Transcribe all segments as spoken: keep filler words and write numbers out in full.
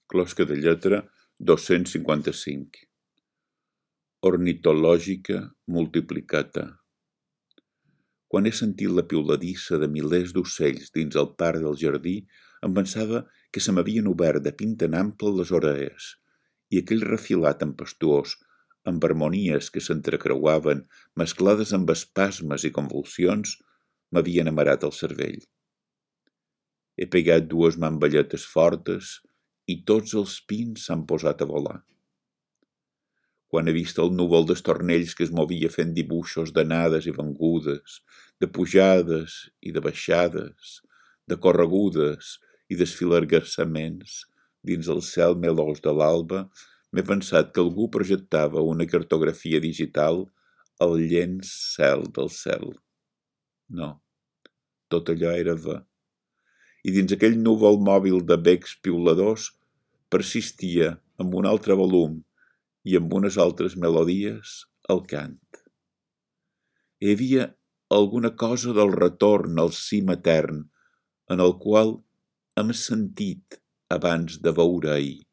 Closca de lletra dos-cents cinquanta-cinc. Ornitològica multiplicata. Quan he sentit la piuladissa de milers d'ocells dins el parc del jardí, em pensava que se m'havien obert de pinta en ample les orelles, i aquell refilat tempestuós, amb harmonies que s'entrecreuaven, mesclades amb espasmes i convulsions, m'havien amarat el cervell. He pegat dues mamballetes fortes i tots els pins s'han posat a volar. Quan he vist el núvol d'estornells que es movia fent dibuixos d'anades i vengudes, de pujades i de baixades, de corregudes i desfilargassaments dins el cel melós de l'alba, m'he pensat que algú projectava una cartografia digital al llens cel del cel. No, tot allò era va. I dins aquell núvol mòbil de becs piuladors persistia amb un altre volum i amb unes altres melodies el cant. Hi havia alguna cosa del retorn al cim etern en el qual hem sentit abans de veure ahir.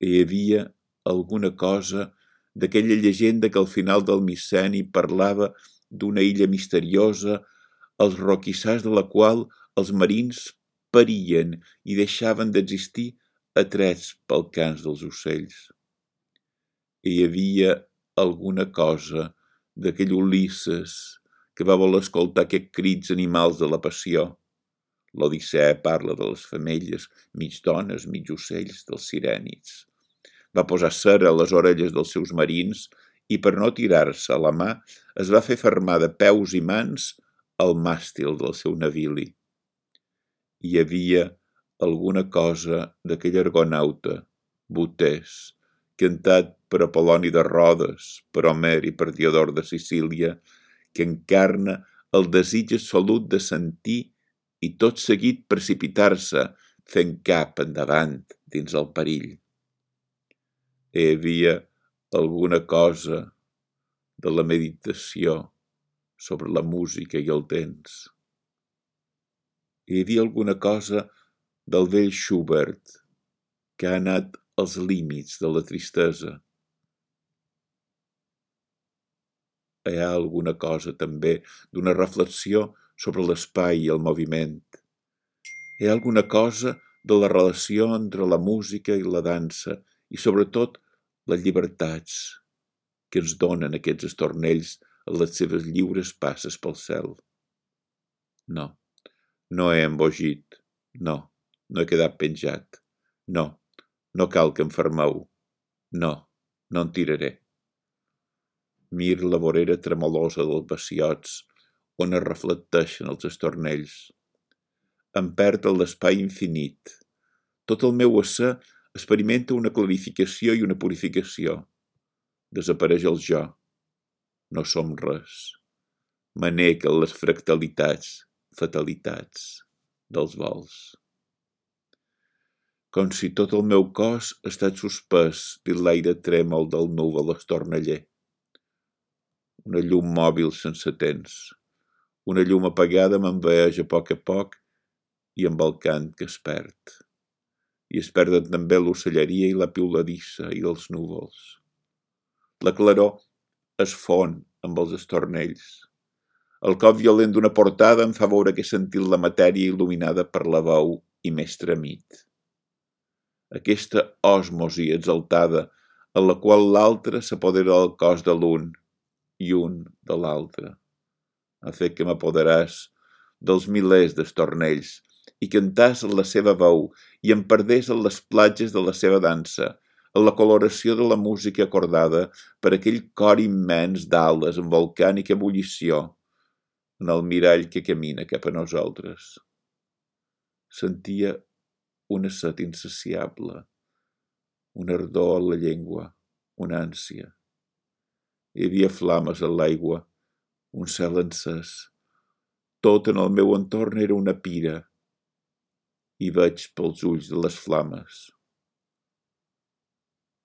Hi havia alguna cosa d'aquella llegenda que al final del micenni parlava d'una illa misteriosa als roquissars de la qual els marins perien i deixaven d'existir atrets pel cants dels ocells. Hi havia alguna cosa d'aquell Ulisses que va voler escoltar aquests crits animals de la passió. L'Odissea parla de les femelles, mig dones, mig ocells, dels sirènids. Va posar cera a les orelles dels seus marins i per no tirar-se a la mà es va fer fermar de peus i mans al màstil del seu navili. Hi havia alguna cosa d'aquell argonauta, Botés, cantat per Apol·loni de Rodes, per Homer i per Diodor de Sicília, que encarna el desig absolut de sentir i tot seguit precipitar-se fent cap endavant dins el perill. Hi havia alguna cosa de la meditació sobre la música i el temps. Hi havia alguna cosa del vell Schubert que ha anat als límits de la tristesa. Hi ha alguna cosa també d'una reflexió sobre l'espai i el moviment. Hi ha alguna cosa de la relació entre la música i la dansa i sobretot les llibertats que ens donen aquests estornells a les seves lliures passes pel cel. No, no he embogit, no, no he quedat penjat, no, no cal que em fermeu, no, no en tiraré. Mir la vorera tremolosa dels bassiots on es reflecteixen els estornells. Em perd en l'espai infinit. Tot el meu ésser experimenta una clarificació i una purificació. Desapareix el jo. No som res. M'anec en les fractalitats, fatalitats dels vols. Com si tot el meu cos ha estat suspès dins l'aire trèmol del núvol estorneller. Una llum mòbil sense temps. Una llum apagada m'envaeix a poc a poc i amb el cant que es perd. I es perden també l'ocelleria i la piuladissa i els núvols. La claror es fon amb els estornells. El cop violent d'una portada em fa veure que he sentit la matèria il·luminada per la veu i m'he estremit. Aquesta òsmosi exaltada en la qual l'altre s'apodera del cos de l'un i un de l'altre ha fet que m'apoderàs dels milers d'estornells i cantàs en la seva veu i em perdés en les platges de la seva dansa, en la coloració de la música acordada per aquell cor immens d'ales en volcànica ebullició, en el mirall que camina cap a nosaltres. Sentia una set insaciable, una ardor a la llengua, una ànsia. Hi havia flames en l'aigua, un cel encès. Tot en el meu entorn era una pira i veig pels ulls de les flames.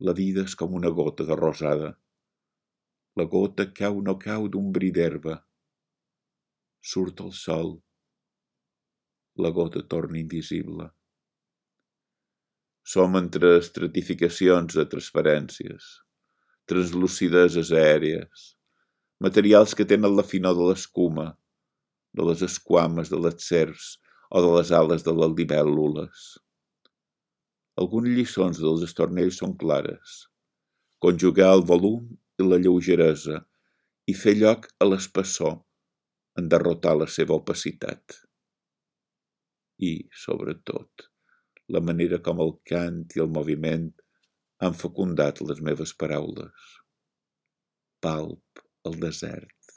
La vida és com una gota de rosada. La gota cau no cau d'un bri d'herba. Surt el sol. La gota torna invisible. Som entre estratificacions de transparències, translucideses aèries, materials que tenen la finor de l'escuma, de les esquames de les serps o de les ales de les libèl·lules. Algunes lliçons dels estornells són clares. Conjugar el volum i la lleugeresa i fer lloc a l'espessor en derrotar la seva opacitat. I, sobretot, la manera com el cant i el moviment han fecundat les meves paraules. Palp el desert.